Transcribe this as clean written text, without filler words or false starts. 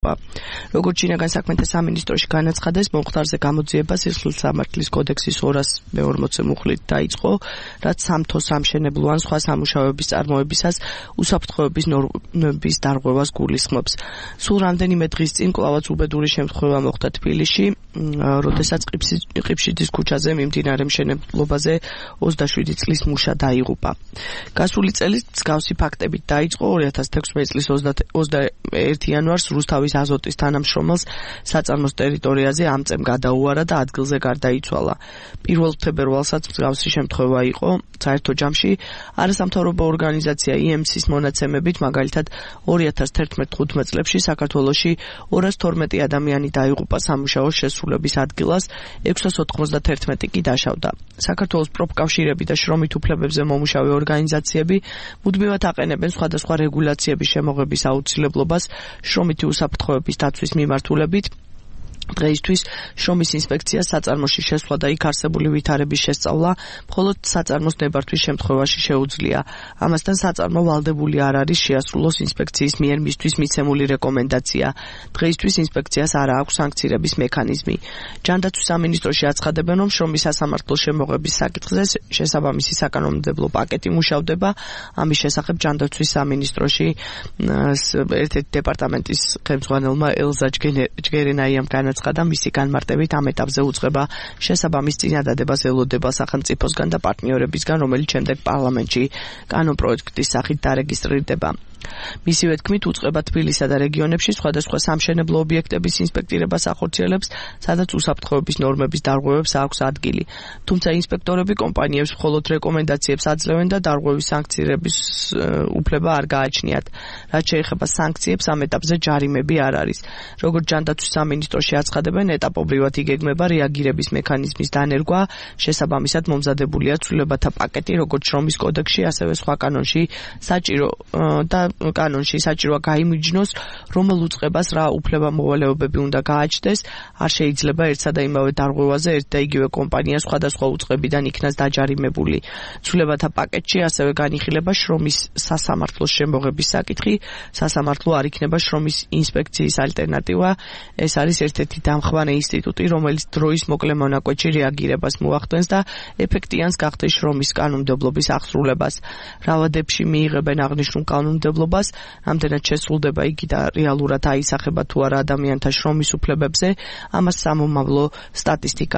როგორც შინაგან საქმეთა სამინისტროში განაცხადეს, მომხდარზე გამოძიება სისხლის სამართლის კოდექსის 240 მუხლით დაიწყო, რაც სამთო სამშენებლო ან სხვა სამუშაოების წარმოებისას უსაფრთხოების ნორმების დარღვევას გულისხმობს. სულ რამდენიმე დღის წინ კლავაც უბედური შემთხვევა მოხდა თბილისში, როდესაც ყიფშიძის ქუჩაზე მიმდინარე მშენებლობაზე 27 წლის მუშა დაიღუპა. გასული წელი მსგავსი ფაქტებით დაიწყო 2016 წლის 21 იანვარს რუსთავის აზოტის თანამშრომელს საწარმოს ტერიტორიაზე ამწემ გადაუარა და ადგილზე გარდაიცვალა. 1 თებერვალსაც მსგავსი შემთხვევა იყო. საერთო ჯამში არასამთავრობო ორგანიზაცია IMC-ის მონაცემებით, მაგალითად 2011-15 წლებში საქართველოში 212 ადამიანი დაიღუპა სამუშაოს შესრულების ადგილას, 691 კი დაშავდა. საქართველოს პროფკავშირები და შრომით უფლებებზე მომუშავე ორგანიზაციები მუდმივად აყენებენ სხვადასხვა რეგულაციების შემოღების აუცილებლობას შრომითი უსაფრთხოების დაცვის მიმართულებით. დღეისთვის შრომის ინსპექციას საწარმოში შესვლა და იქ არსებული ვითარების შესწავლა მხოლოდ საწარმოს ნებართვის შემთხვევაში შეუძლია. ამასთან საწარმო ვალდებული არ არის შეასრულოს ინსპექციის მიერ მისთვის მიცემული რეკომენდაცია. დღეისთვის ინსპექციას არ აქვს სანქცირების მექანიზმი. ჯანდაცვის სამინისტროში აცხადებენ, რომ შრომის სასამართლოს შემოღების საკითხზე შესაბამისი საკანონმდებლო პაკეტი მუშავდება. ამის შესახებ ჯანდაცვის სამინისტროში ერთ-ერთი დეპარტამენტის ხელმძღვანელმა ელზა ჯგერენაიამ განაცხადა, მისი განმარტებით ამ ეტაპზე უწყება შესაბამის წინადადებას ელოდება სახელმწიფოსგან და პარტნიორებისგან, რომელიც შემდეგ პარლამენტში კანონპროექტის სახით დარეგისტრირდება. მისივე თქმით, უწყება თბილისსა და რეგიონებში სხვადასხვა სამშენებლო ობიექტების ინსპექტირებას ახორციელებს, სადაც უსაფრთხოების ნორმების დარღვევებს აქვს ადგილი. თუმცა ინსპექტორები კომპანიებს მხოლოდ რეკომენდაციებს აძლევენ და დარღვევის სანქცირების უფლება არ გააჩნიათ. რაც შეეხება სანქციებს, ამ ეტაპზე ჯარიმები არ არის. როგორც ჯანდაცვის სამინისტროში აცხადებენ, ეტაპობრივად იგეგმება რეაგირების მექანიზმის დანერგვა, შესაბამისად მომზადებულია ცვლილებათა პაკეტი, როგორც შრომის კოდექსში, ასევე სხვა კანონში საჭიროა გაიმიჯნოს, რომელ უწყებას რა უფლება-მოვალეობები უნდა გააჩნდეს. არ შეიძლება ერთსა და იმავე დარღვევაზე ერთ და იგივე კომპანია სხვადასხვა უწყებიდან იქნას დაჯარიმებული. ცვლილებათა პაკეტში ასევე განიხილება შრომის სასამართლოს შემოღების საკითხი. სასამართლო არ იქნება შრომის ინსპექციის ალტერნატივა. ეს არის ერთ-ერთი დამხვანე ინსტიტუტი, რომელიც დროის მოკლე მონაკვეთში რეაგირებას მოახდენს და ეფექტიანს გახდეს შრომის კანონმდებლობის აღსრულებას. რავადებში მიიღებენ აღნიშნულ კანონმდებლობას, ამდენად შესრულდება იგი და რეალურად აისახება თუ არა ადამიანთა შრომის უფლებებზე, ამას სამომავლო სტატისტიკა